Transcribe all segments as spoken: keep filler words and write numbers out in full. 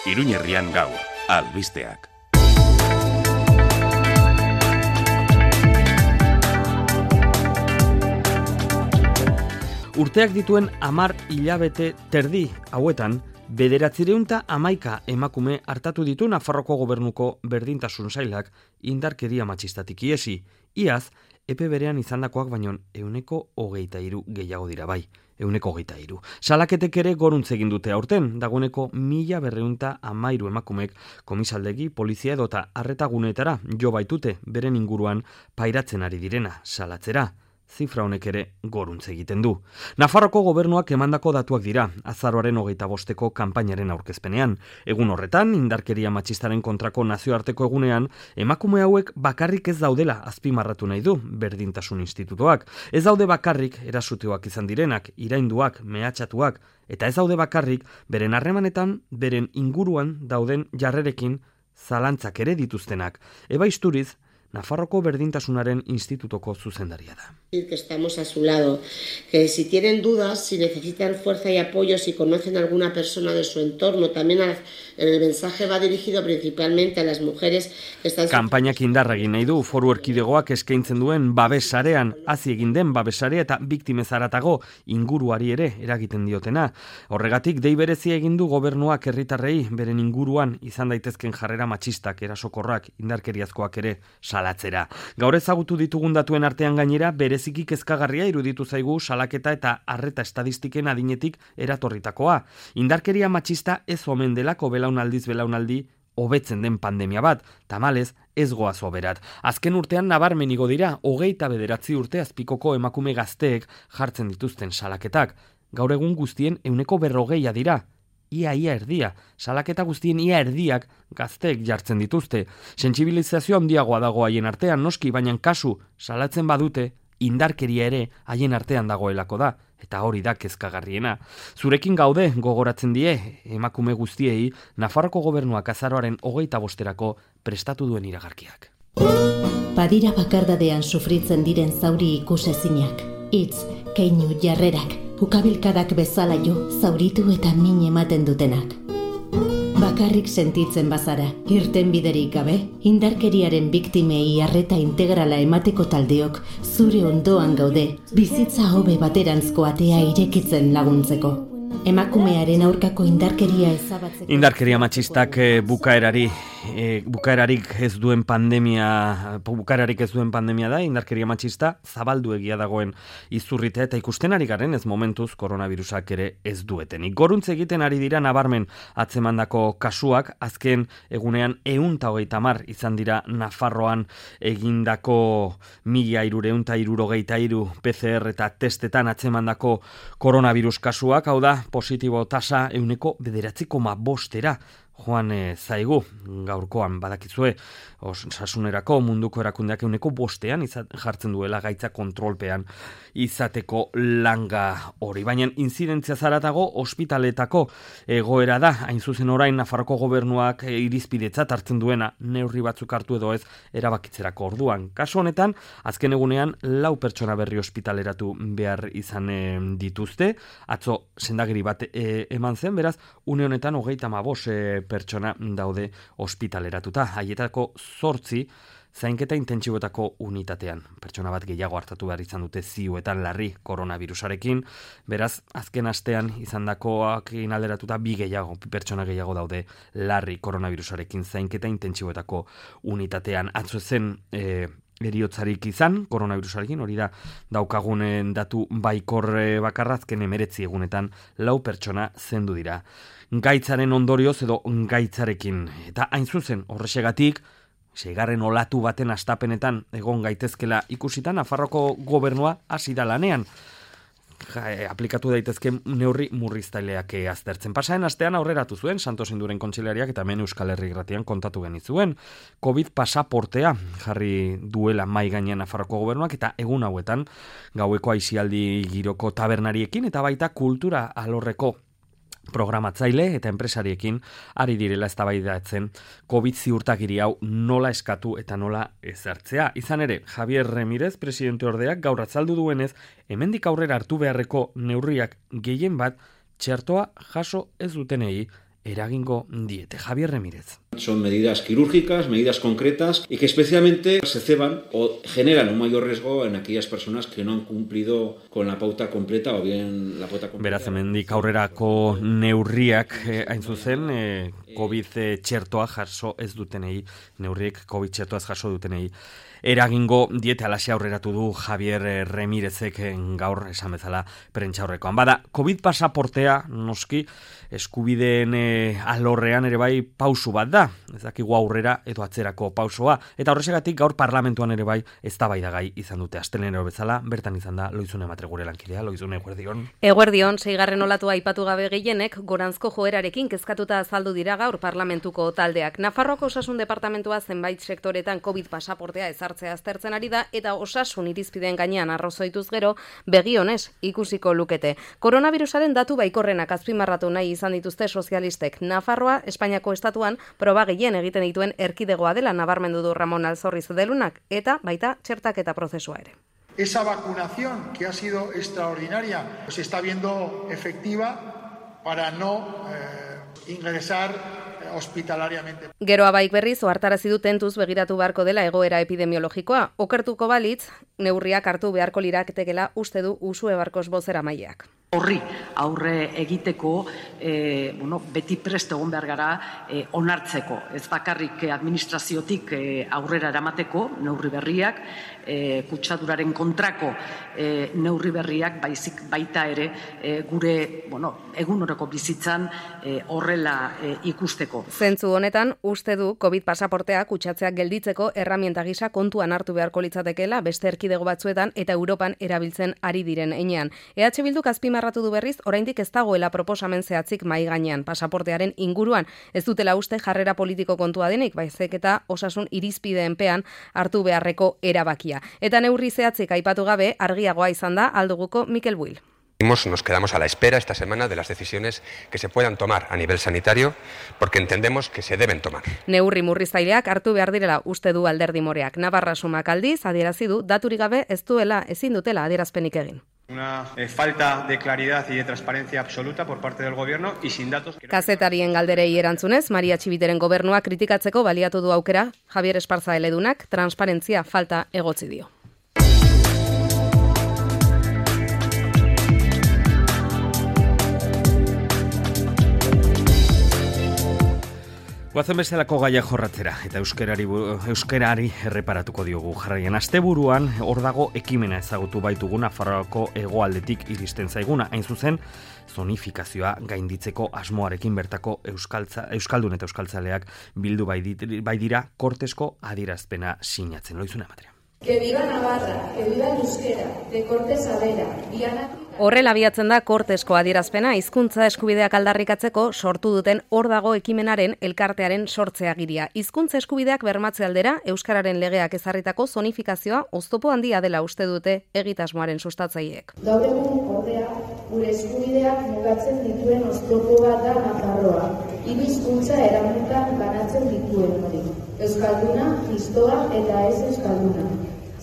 Iruñerrian gaur, albisteak. Urteak dituen hamar hilabete terdi hauetan, bederatzireunta hamaika emakume hartatu ditu Nafarroko Gobernuko berdintasun sailak indarkeria matxistatik iesi. Iaz, epe berean izandakoak baino ehuneko hogeita hiru gehiago dira bai. Ehuneko hogeita hiru. Salaketek ere goruntz egin dute aurten, dagoeneko mila berreunta hamairu emakumek komisaldegi, polizia edota arretaguneetara jo baitute beren inguruan pairatzen ari direna salatzera. Zifra honek ere goruntz egiten du. Nafarroko Gobernuak emandako datuak dira, azaroaren hogeita bosteko kanpainaren aurkezpenean. Egun horretan, indarkeria matxistaren kontrako nazioarteko egunean, emakume hauek bakarrik ez daudela azpimarratu nahi du Berdintasun Institutoak. Ez daude bakarrik erasuteoak izan direnak, irainduak, mehatxatuak, eta ez daude bakarrik beren harremanetan, beren inguruan dauden jarrerekin zalantzak ere dituztenak. Eba Isturiz, Nafarroko Berdintasunaren Institutoko zuzendaria da. Que estamos a su lado, que si tienen dudas, si necesitan fuerza y apoyo, si conocen a alguna persona de su entorno, también el mensaje va dirigido principalmente a las mujeres que están... Kanpainak indarra egin nahi du Foru Erkidegoak eskaintzen duen babesarean, hazi egin den babesarea eta biktimez haratago inguruari ere eragiten diotena. Horregatik dei berezia egin du gobernuak herritarrei beren inguruan izan daitezken jarrera matxistak, erasokorrak, indarkeriazkoak ere salatzera. Gaur ezagutu ditugun datuen artean gainera bereziki kezkagarria iruditu zaigu salaketa eta arreta estadistiken adinetik eratorritakoa. Indarkeria matxista ez omen delako belaunaldiz belaunaldi hobetzen den pandemia bat, tamalez ez goaz oberat. Azken urtean nabarmenigo dira hogeita bederatzi urte azpikoko emakume gazteek jartzen dituzten salaketak. Gaur egun guztien ehuneko berrogeia dira. Ia ia erdia, salaketa guztien ia erdiak gazteek jartzen dituzte. Sentsibilizazio handiagoa dago haien artean noski, baina kasu salatzen badute, indarkeria ere haien artean dagoelako da, eta hori da kezkagarriena. Zurekin gaude gogoratzen die, emakume guztiei, Nafarroko Gobernuak azaroaren hogeita bosterako prestatu duen iragarkiak. Badira bakardadean sufritzen diren zauri ikusezinak, hitz, keinu jarrerak, ukabilkadak bezala jo, zauritu eta min ematen dutenak. Bakarrik sentitzen bazara, irten biderik gabe, indarkeriaren biktimei arreta integrala emateko taldeok zure ondoan gaude, bizitza hobe baterantzko atea irekitzen laguntzeko. Emakumearen aurkako indarkeria ezabatzeko... Indarkeria matxistak e, bukaerari, e, bukaerarik ez duen pandemia, bukaerarik ez duen pandemia da, indarkeria matxista zabaldu egia dagoen izurritea eta ikusten ari garen ez momentuz koronavirusak ere ez duetenik. Goruntz egiten ari dira nabarmen atzemandako kasuak, azken egunean ehun eta hogeita hamar izan dira Nafarroan egindako mila hiruehun eta hirurogeita hiru P C R eta testetan atzemandako koronavirus kasuak, hau da, positibo tasa ehuneko bederatzi koma bostera joan e, zaigu gaurkoan badakizue osasunerako munduko erakundeak ehuneko bostean izat, jartzen duela gaitza kontrolpean izateko langa hori. Baina inzidentzia zaratago ospitaletako egoera da, hain zuzen orain Nafarroko Gobernuak e, irizpidetzat hartzen duena neurri batzuk hartu edo ez erabakitzerako orduan. Kasu honetan, azken egunean lau pertsona berri ospitaleratu behar izan e, dituzte, atzo sendagiri bat e, eman zen, beraz, une honetan hogeita hamabost e, pertsona daude ospitaleratuta. Haietako zortzi zainketa intentsiboetako unitatean. Pertsona bat gehiago hartatu behar izan dute ziuetan larri koronavirusarekin. Beraz, azken astean izandakoak alderatuta bi gehiago, pertsona gehiago daude larri koronavirusarekin zainketa intentsiboetako unitatean. Atzo zen e, eriotzarik izan, koronavirusarekin, hori da daukagunen datu baikor bakarrazken emeretzi egunetan lau pertsona zendu dira. Gaitzaren ondorioz edo gaitzarekin. Eta hain zuzen, horrexegatik, seigarren olatu baten astapenetan egon gaitezkela ikusita, Nafarroko Gobernua hasi da lanean. Ja, aplikatu daitezke neurri murriztaileak aztertzen. Pasaren astean aurreratu zuen Santos Induren kontseilariak eta hemen Euskal Herri Irratian kontatu genizuen. Covid pasaportea jarri duela mai gainean Nafarroko Gobernuak eta egun hauetan gaueko aisialdi giroko tabernariekin eta baita kultura alorreko programatzaile eta enpresariekin ari direla eztabaidatzen Covid ziurtagiri hau nola eskatu eta nola ezartzea. Izan ere, Javier Remirez, presidente ordeak, gaur azaldu duenez, hemendik aurrera hartu beharreko neurriak gehien bat txertoa jaso ez dutenei eragingo diete. Javier Remírez. Son medidas quirúrgicas, medidas concretas y que especialmente se ceban o generan un mayor riesgo en aquellas personas que no han cumplido con la pauta completa o bien la pauta completa. Beraz, hemendik aurrerako neurriak eh, hain zuzen, eh, COVID txertoa jaso ez dutenei, neurriek COVID txertoa ez jaso dutenei eragingo diete, alaxe aurreratu du Javier Remírezek gaur esan bezala prentsaurrekoan. Bada, COVID pasaportea noski eskubideen e, alorrean ere bai pausu bat da, ez dakigu aurrera edo atzerako pausoa, eta horrexegatik gaur parlamentuan ere bai eztabaidagai izan dute. Asteleenero bezala bertan izan da Loizune Matre gure lankidea. Loizune, eguerdion. Eguerdion, seigarren olatua aipatu gabe gehienek goranzko joerarekin kezkatuta azaldu dira gaur parlamentuko taldeak. Nafarroako osasun departamentua zenbait sektoretan COVID pasaportea ezartzea aztertzen ari da eta osasun irizpideen gainean arrozoituz gero begionez ikusiko lukete. Koronavirusaren datu baikorrenak azpimarratu nahi izan dituzte sozialistek. Nafarroa, Espainiako estatuan, proba gehien egiten dituen erkidegoa dela nabarmendu du Ramon Alzorriz Delunak eta baita txertaketa prozesua ere. Esa vacunación que ha sido extraordinaria se está viendo efectiva para no eh, ingresar hospitalariamente. Gero abaik berriz ohartarazi du tentuz begiratu beharko dela egoera epidemiologikoa. Okertuko balitz, neurriak hartu beharko liraketekela uste du Usue Barkos bozeramaileak. Horri aurre egiteko e, bueno, beti prest egon behar gara e, onartzeko. Ez bakarrik administraziotik e, aurrera eramateko neurri berriak, e, kutsaduraren kontrako e, neurri berriak baizik baita ere e, gure bueno, egunoroko bizitzan e, horrela e, ikusteko. Zentzu honetan, uste du COVID pasaportea kutsatzeak gelditzeko erramienta gisa kontuan hartu beharko litzatekeela beste erkidego batzuetan eta Europan erabiltzen ari diren heinean. E H Bilduk azpimarratu du berriz, oraindik ez dagoela proposamen zehatzik mai gainean pasaportearen inguruan. Ez dutela uste jarrera politiko kontua denik, baizik eta osasun irizpideenpean hartu beharreko erabakia. Eta neurri zehatzik aipatu gabe argiagoa izan da alduguko Mikel Buil. Nos quedamos a la espera esta semana de las decisiones que se puedan tomar a nivel sanitario, porque entendemos que se deben tomar. Neurri murriztaileak hartu behar direla uste du Alderdi Moreak. Navarra Sumak aldiz adierazi du daturik gabe ez duela ezin dutela adierazpenik egin. Una eh, falta de claridad y de transparencia absoluta por parte del gobierno y sin datos. Kazetarien galderei erantzunez, Maria Txibiteren gobernua kritikatzeko baliatu du aukera, Javier Esparza eledunak transparentzia falta egotzi dio. Guazen bezalako gaia jorratzera eta euskerari, euskerari erreparatuko diogu. Jarraian, asteburuan hor dago ekimena ezagutu baitugu Nafarroako hegoaldetik iristen zaiguna. Hain zuzen, zonifikazioa gainditzeko asmoarekin bertako euskaltza, euskaldun eta euskaltzaleak bildu bai dira kortesko adierazpena sinatzen. Loizune Matrea. Que viva Navarra, que viva el euskera, de Cortes a Vera, Diana... Horrela abiatzen da kortesko adierazpena hizkuntza eskubideak aldarrikatzeko sortu duten hor dago ekimenaren elkartearen sortzeagiria. Hizkuntza eskubideak bermatze aldera euskararen legeak ezarritako zonifikazioa oztopo handia dela uste dute egitasmoaren sustatzaileek. Gaur egun ordea gure eskubideak mugatzen dituen oztopo bat da Nafarroa. Hiru hizkuntza eramutan banatzen dituen hori. Euskalduna, histoa eta ez euskalduna.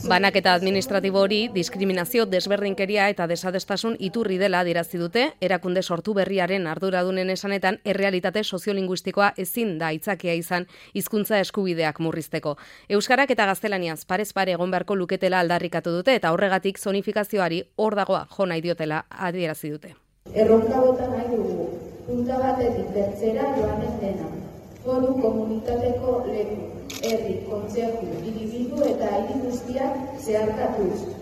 Banaketa administratibo hori diskriminazio, desberdinkeria eta desadestasun iturri dela adierazi dute, erakunde sortu berriaren arduradunen esanetan errealitate soziolinguistikoa ezin da aitzakia izan hizkuntza eskubideak murrizteko. Euskarak eta gaztelaniaz parez pare egon beharko luketela aldarrikatu dute eta horregatik zonifikazioari hor dagoa jo nahi diotela adierazi dute. Erronka bota nahi dugu, punta batetik bertzera joanen dena. Foru komunitateko leku, herri, kontzeju, hiribildu eta hiri guztiak zeharkatuz.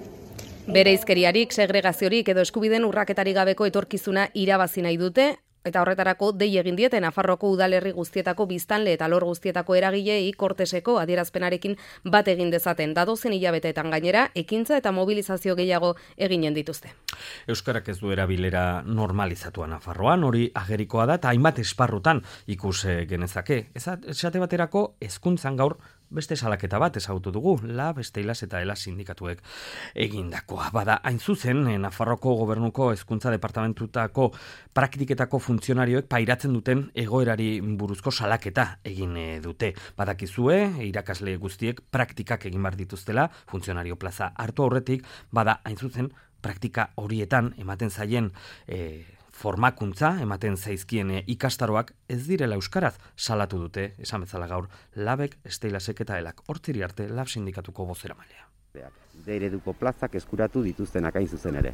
Bereizkeriarik, segregaziorik edo eskubideen urraketarik gabeko etorkizuna irabazi nahi dute, eta horretarako dei egin diete Nafarroako udalerri guztietako biztanle eta lor guztietako eragilei korteseko adierazpenarekin bat egin dezaten. Dadozen hilabeteetan gainera, ekintza eta mobilizazio gehiago eginen dituzte. Euskarak ez du erabilera normalizatua Nafarroan, hori agerikoa da, eta hainbat esparrutan ikus genezake. Esate baterako hezkuntzan gaur beste salaketa bat ezagutu dugu, la beste ilas eta ela sindikatuek egindakoa. Bada, hain zuzen, Nafarroko gobernuko hezkuntza departamentutako praktiketako funtzionarioek pairatzen duten egoerari buruzko salaketa egin dute. Badakizue, irakasle guztiek praktikak egin bar dituztela, funtzionario plaza hartu aurretik, bada, hain zuzen, praktika horietan ematen zaien e, formakuntza ematen zaizkien ikastaroak ez direla euskaraz salatu dute, esan bezala gaur, Labek, Steilasek eta Elak. Hortziri arte Lab sindikatuko bozeramailea. D ereduko plazak eskuratu dituztenak hain zuzen ere.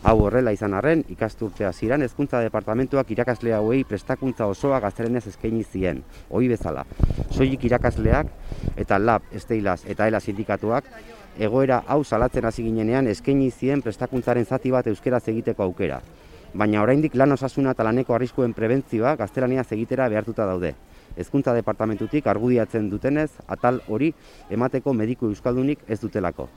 Hau horrela izan arren, ikasturtea hasieran hezkuntza departamentuak irakasle hauei prestakuntza osoa gaztelenez eskaini zien, ohi bezala. Soilik irakasleak eta Lab, Steilas eta Ela sindikatuak egoera hau salatzen hasi ginenean eskaini zien prestakuntzaren zati bat euskeraz egiteko aukera. Baina oraindik lan osasuna eta laneko arriskuen prebentzioa gaztelaniaz egitera behartuta daude. Hezkuntza departamentutik argudiatzen dutenez, atal hori emateko mediku euskaldunik ez dutelako.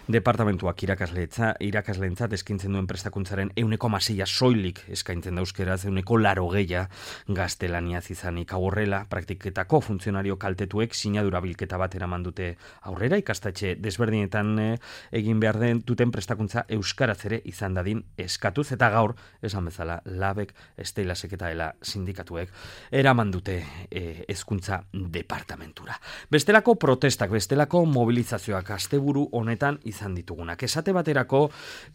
Departamentuak irakasleetza, irakasleentzat eskintzen duen prestakuntzaren euneko maseia soilik eskaintzen da euskeraz, euneko laro geia gaztelaniaz izanik. Hau horrela, praktiketako funtzionario kaltetuek sinadura bilketa bat eraman dute aurrera, ikastetxe desberdinetan eh, egin behar den duten prestakuntza euskaraz ere izan dadin eskatuz, eta gaur, esan bezala, Labek, Steilasek eta Ela sindikatuek eraman dute hezkuntza departamentura. Bestelako protestak, bestelako mobilizazioak asteburu honetan izan ditugunak. Esate baterako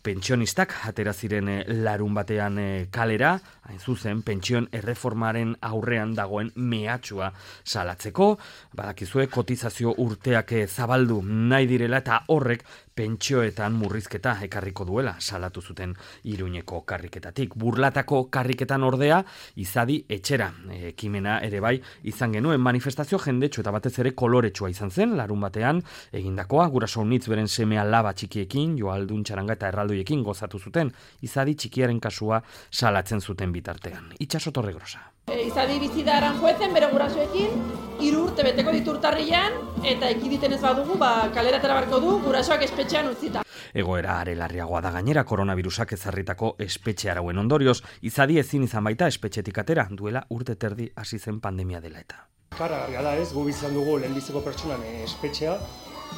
pentsionistak atera ziren larun batean kalera, hain zuzen pentsioen erreformaren aurrean dagoen mehatxua salatzeko, badakizue kotizazio urteak zabaldu nahi direla eta horrek pentsioetan murrizketa ekarriko duela salatu zuten Iruñeko karriketatik. Burlatako karriketan ordea izadi etxera ekimena ere bai izan genuen manifestazio jendetsu eta batez ere koloretsua izan zen larun batean egindakoa guraso unitz beren semea laba txikiekin, joaldun txaranga eta erraldoiekin gozatu zuten izadi txikiaren kasua salatzen zuten bitartean. Itxaso Torregrosa. E, izadi bizi da Aranjuezen bere gurasoekin, hiru urte beteko ditu urtarrilean eta ekiditen ez badugu, ba kalera atera beharko du gurasoak espetxean utzita. Egoera are larriagoa da gainera koronavirusak ezarritako espetxe arauen ondorioz, izadi ezin izan baita espetxetik atera duela urte terdi hasi zen pandemia dela eta. Karagarria da ez, gu izan dugu lehenbiziko pertsonan espetxea,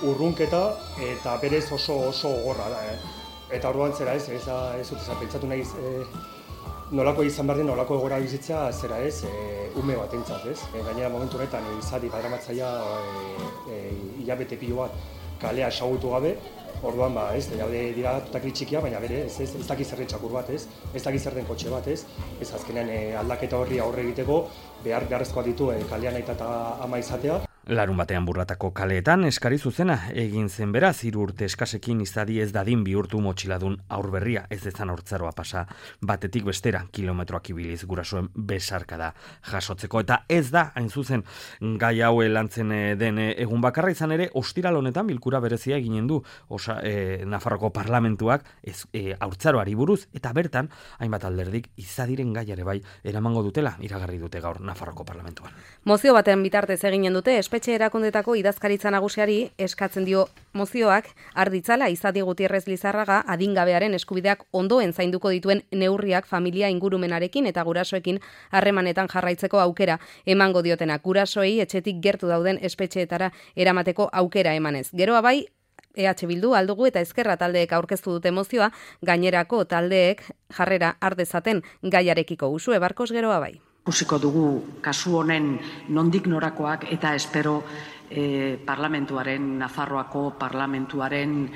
urrunketa eta berez oso oso gogorra da. Eh? Eta orduan zera ez, ez, ez dut ezan pentsatu nahiz, eh, nolako izan behar den, nolako egora bizitza zera ez, e, ume bat entzat ez. E, gainera momentu honetan izadi badamatzaia e, e, hilabete pilo bat kalea esagutu gabe, orduan ba ez, daude dira tutakri txikia, baina bere ez, ez, ez dakiz zer den txakur bat ez, ez dakiz zer den kotxe bat ez, ez azkenean e, aldaketa horri aurre egiteko behar beharrezkoa ditu e, kalean aita eta ama izatea. Larun batean Burlatako kaleetan eskari zuzena egin zen beraz, hiru urte eskasekin izadi ez dadin bihurtu motxiladun aurberria, ez dezan hortzaroa pasa batetik bestera kilometroak ibiliz gurasoen besarkada jasotzeko. Eta ez da, hain zuzen, gai hau lantzen den egun bakarra izan ere, ostiral honetan bilkura berezia eginen du osa, e, Nafarroko parlamentuak ez, e, haurtzaroari buruz, eta bertan, hainbat alderdik izadiren gaiare bai eramango dutela iragarri dute gaur Nafarroko parlamentuan. Mozio batean bitartez eginen dute, espetxe erakundetako idazkaritza nagusiari eskatzen dio mozioak arditzala Izadi Gutierrez Lizarraga adingabearen eskubideak ondoen zainduko dituen neurriak familia ingurumenarekin eta gurasoekin harremanetan jarraitzeko aukera emango diotenak gurasoei etxetik gertu dauden espetxeetara eramateko aukera emanez. Geroa bai, E H Bildu, Aldugu eta Ezkerra taldeek aurkeztu dute mozioa, gainerako taldeek jarrera ardezaten gaiarekiko. Usue Barkos, geroa bai. Ikusiko dugu kasu honen nondik norakoak eta espero eh, parlamentuaren, Nafarroako parlamentuaren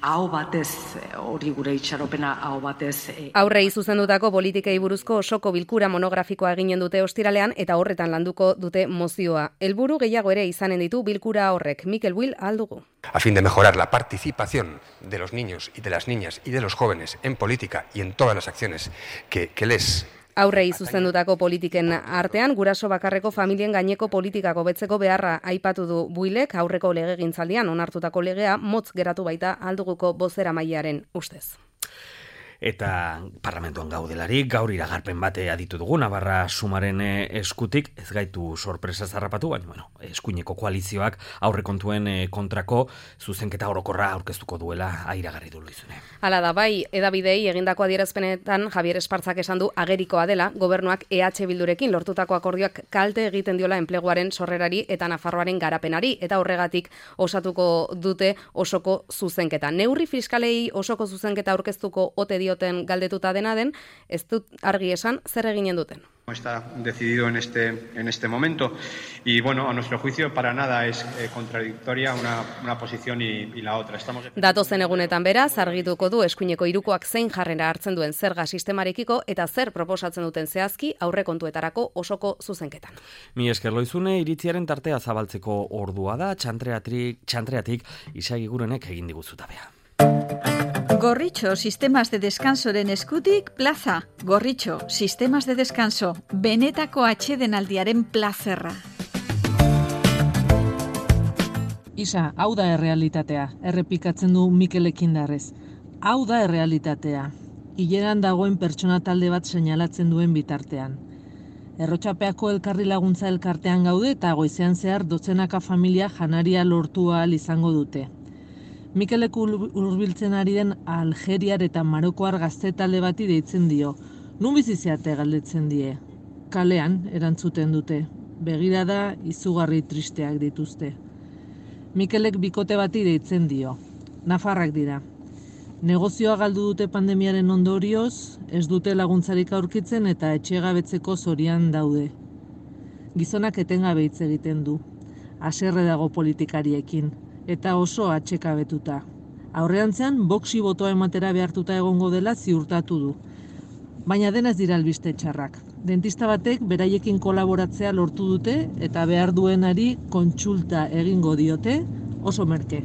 aho batez, hori gure itxaropena aho batez. Eh. Aurrei zuzendutako politikei buruzko osoko bilkura monografikoa eginen dute ostiralean eta horretan landuko dute mozioa. Helburu gehiago ere izanen ditu bilkura horrek. Mikel Buil, Aldugu. A fin de mejorar la participación de los niños y de las niñas y de los jóvenes en política y en todas las acciones que, que les... Aurrei zuzendutako politiken artean, guraso bakarreko familien gaineko politikako betzeko beharra aipatu du Builek, aurreko legegintzaldian onartutako legea motz geratu baita Alduguko bozeramailearen ustez. Eta parlamentuan gaudelarik, gaur iragarpen bate aditu dugu, Navarra Sumaren eskutik, ez gaitu sorpresa zarrapatu, baina bueno, eskuineko koalizioak aurrekontuen kontrako zuzenketa orokorra aurkeztuko duela airagarri du Luizune. Hala da, bai, edabidei egindako adierazpenetan Javier Espartzak esan du agerikoa dela, gobernuak E H Bildurekin lortutako akordioak kalte egiten diola enpleguaren sorrerari eta Nafarroaren garapenari, eta horregatik osatuko dute osoko zuzenketa. Neurri fiskalei osoko zuzenketa aurkeztuko ote dioten galdetuta dena den, ez dut argi esan zer eginen duten. Está decidido en este, en este momento y, bueno, a nuestro juicio para nada es eh, contradictoria una, una posición y, y la otra. Estamos... Datozen egunetan beraz, argituko du eskuineko hirukoak zein jarrera hartzen duen zerga sistemarekiko eta zer proposatzen duten zehazki aurrekontuetarako osoko zuzenketan. Mi esker Loizune, iritziaren tartea zabaltzeko ordua da, txantreatik, txantreatik Isagi Gurenek egin diguzutabea. Gorritxo, sistemas de descansoren eskutik, plaza. Gorritxo, sistemas de descanso, benetako atsedenaldiaren plazerra. Isa, hau da errealitatea, errepikatzen du Mikel Ekindarrez. Hau da errealitatea, hileran dagoen pertsona talde bat seinalatzen duen bitartean. Errotxapeako elkarri laguntza elkartean gaude eta goizean zehar dotzenaka familia janaria lortu ahal izango dute. Mikelek hurbiltzen ari den Algeriar eta Marokoar gazte talde bati deitzen dio. Nun bizi zeate galdetzen die. Kalean erantzuten dute. Begirada izugarri tristeak dituzte. Mikelek bikote bati deitzen dio. Nafarrak dira. Negozioa galdu dute pandemiaren ondorioz, ez dute laguntzarik aurkitzen eta etxegabetzeko zorian daude. Gizonak etengabe hitz egiten du. Haserre dago politikariekin. Eta oso atxekabetuta. Aurreantzean, boxi botoa ematera behartuta egongo dela ziurtatu du. Baina dena ez dira albiste txarrak. Dentista batek beraiekin kolaboratzea lortu dute eta behar duenari kontsulta egingo diote oso merke.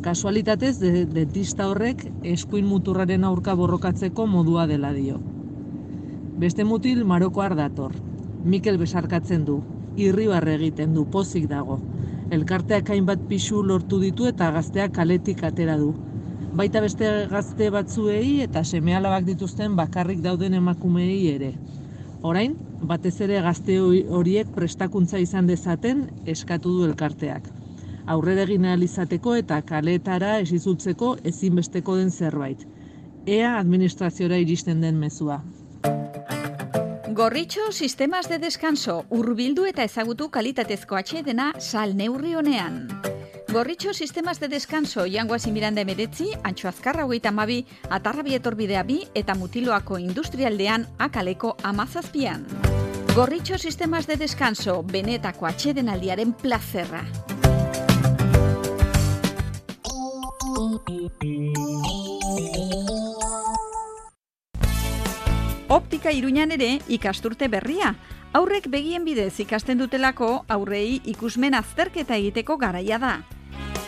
Kasualitatez, de, dentista horrek eskuin muturraren aurka borrokatzeko modua dela dio. Beste mutil Marokoar dator. Mikel besarkatzen du. Irribarre egiten du, pozik dago. Elkarteak hainbat pisu lortu ditu eta gazteak kaletik atera du. Baita beste gazte batzuei eta seme-alabak dituzten bakarrik dauden emakumeei ere. Orain, batez ere gazte horiek prestakuntza izan dezaten eskatu du elkarteak. Aurrera egin ahal izateko eta kaleetara ez itzultzeko ezinbesteko den zerbait. Ea administraziora iristen den mezua. Gorritxo, sistemas de descanso, hurbildu eta ezagutu kalitatezko atsedena sal neurri honean. Gorritxo, sistemas de descanso, Jangoazi Miranda emeretzi, Antxo Azkarra hogeita hamabi, Atarrabi etorbidea bi eta Mutiloako industrialdean akaleko amazazpian. Gorritxo, sistemas de descanso, benetako atsedenaldiaren plazerra. Optika Iruñan ere ikasturte berria. Aurrek begien bidez ikasten dutelako aurrei ikusmen azterketa egiteko garaia da.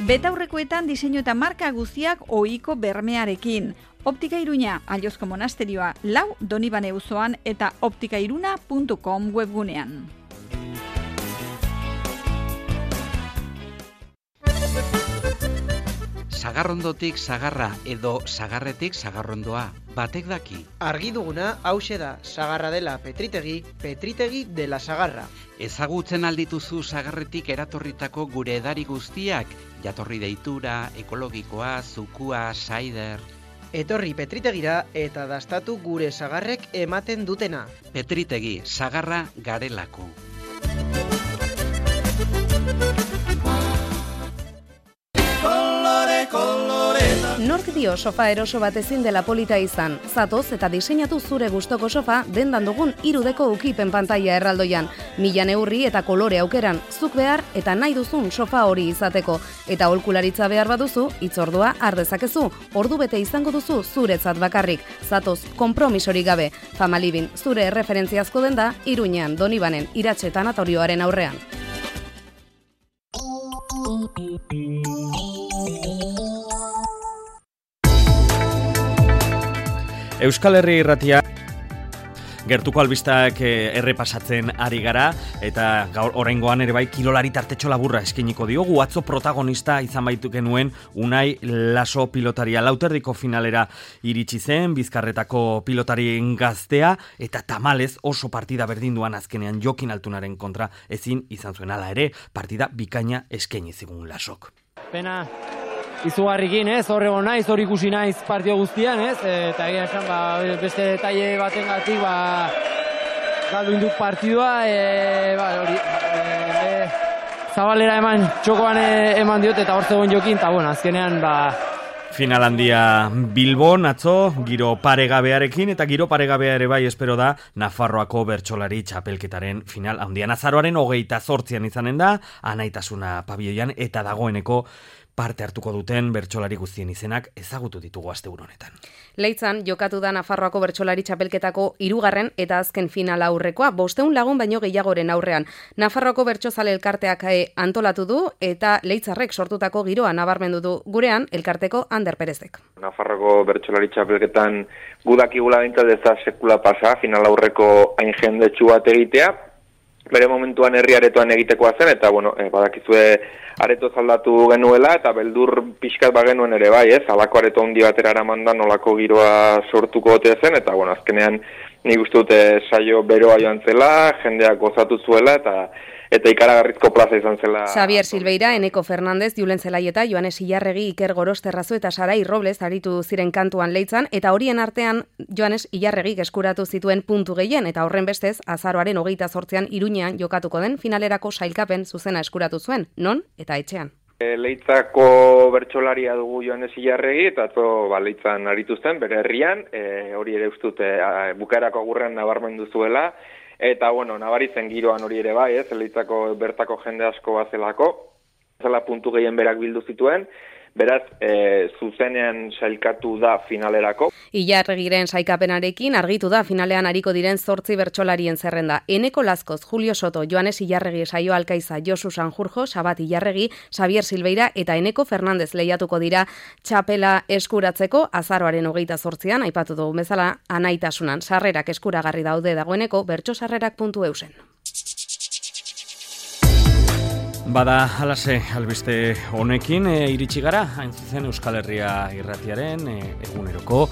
Betaurrekoetan diseinu eta marka guztiak ohiko bermearekin. Optika Iruña, Aliozko monasterioa, lau Donibane auzoan eta optikairuna puntu com webgunean. Sagarrondotik sagarra edo sagarretik sagarrondoa, batek daki. Argi duguna hauxe da, sagarra dela petritegi, petritegi dela sagarra. Ezagutzen aldituzu sagarretik eratorritako gure edari guztiak, jatorri deitura, ekologikoa, zukua, saider. Etorri petritegira eta dastatu gure sagarrek ematen dutena. Petritegi, sagarra garelako. Nork dio sofa eroso bat ezin dela polita izan? Zatoz eta diseinatu zure gustoko sofa dendan dugun irudeko ukipen pantaila erraldoian. Mila neurri eta kolore aukeran, zuk behar eta nahi duzun sofa hori izateko. Eta aholkularitza behar baduzu, hitzordua har dezakezu. Ordu bete izango duzu zuretzat bakarrik. Zatoz, konpromisorik gabe. Famalibin, zure erreferentziazko denda, Iruñean, Donibanen, Iratxe tanatorioaren aurrean. Euskal Herri Irratia gertuko albistak errepasatzen ari gara eta gaur oraingoan ere bai kirolari tartetxo laburra eskainiko diogu. Atzo protagonista izan baitu genuen Unai Laso pilotaria, lauterdiko finalera iritsi zen, Bizkarretako pilotarien gaztea eta tamalez oso partida berdinduan azkenean Jokin Altunaren kontra ezin izan zuen, hala ere partida bikaina eskaini zigun Lasok. Pena izugarrikin, ez, horrego naiz, hor ikusi naiz partio guztian, ez, eta egia esan, ba, beste detaile batengatik, ba, galdu induk partidua, e, ba, hori, e, e, zabalera eman, txokoan eman diot, eta hor zegoen Jokin, eta, bueno, azkenean, ba, Final handia Bilbon, atzo, giro paregabearekin, eta giro paregabea ere bai espero da Nafarroako bertsolari txapelketaren final handian. Azaroaren hogeita zortzian izanen da, Anaitasuna pabioian, eta dagoeneko parte hartuko duten bertsolari guztien izenak ezagutu ditugu asteburu honetan. Leitzan jokatu da Nafarroako bertsolari txapelketako hirugarren eta azken final aurrekoa, bosteun lagun baino gehiagoren aurrean. Nafarroako bertsozale elkarteak antolatu du eta Leitzarrek sortutako giroa nabarmendu du gurean elkarteko Ander Perezek. Nafarroako bertsolari txapelketan gudakigula bintzat ez da sekula pasa, final aurreko hain jendetsu bat egitea, bere momentuan herri aretoan egitekoa zen, eta bueno, e, badakizue areto zaldatu genuela, eta beldur pixkat bagenuen ere bai, ez, alako areto handi batera eramandan nolako giroa sortuko gote zen, eta bueno, azkenean nik uste dute saio beroa joan zela, jendeak gozatu zuela, eta eta ikaragarrizko plaza izan zela. Xavier Silveira, Eneko Fernandez, Julen Zelaieta, Joanes Ilarregi, Iker Gorosterrazu eta Sarai Robles aritu ziren kantuan Leitzan, eta horien artean Joanes Ilarregi eskuratu zituen puntu gehien, eta horren bestez, azaroaren hogeita zortzian Iruñean jokatuko den finalerako sailkapen zuzena eskuratu zuen, non eta etxean. E, Leitzako bertsolaria dugu Joanes Ilarregi, eta atzo ba, Leitzan aritu zen, bere herrian, e, hori ere ustute e, bukaerako agurrean nabarmendu zuela, eta, bueno, nabaritzen giroan hori ere bai, ez, Leitzako bertako jende asko bazelako, zela puntu gehien berak bildu zituen, beraz, e, zuzenean sailkatu da finalerako. Ilarregiren sailkapenarekin argitu da finalean ariko diren zortzi bertsolarien zerrenda. Eneko Lazkoz, Julio Soto, Joanes Ilarregi, Saio Alkaiza, Josu Sanjurjo, Sabat Ilarregi, Xavier Silveira eta Eneko Fernandez lehiatuko dira txapela eskuratzeko azaroaren hogeita zortzian, aipatu dugu bezala Anaitasunan. Sarrerak eskuragarri daude dagoeneko bertsosarrerak puntu eusen. Bada, halase, albiste honekin, e, iritsi gara, hain zuzen Euskal Herria irratiaren, e, eguneroko,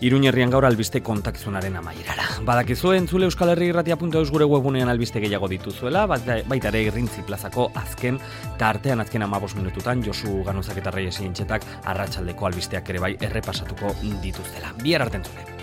Iruñerrian gaur albiste kontakizunaren amaierara. Badakizu entzule Euskal Herria irratia puntu eus gure webunean albiste gehiago dituzuela, baita ere Irrintzi plazako azken, tartean azken amabos minututan, Josu Ganozak eta Reyes Intxetak arratsaldeko albisteak ere bai errepasatuko dituztela. Bihar arte entzule.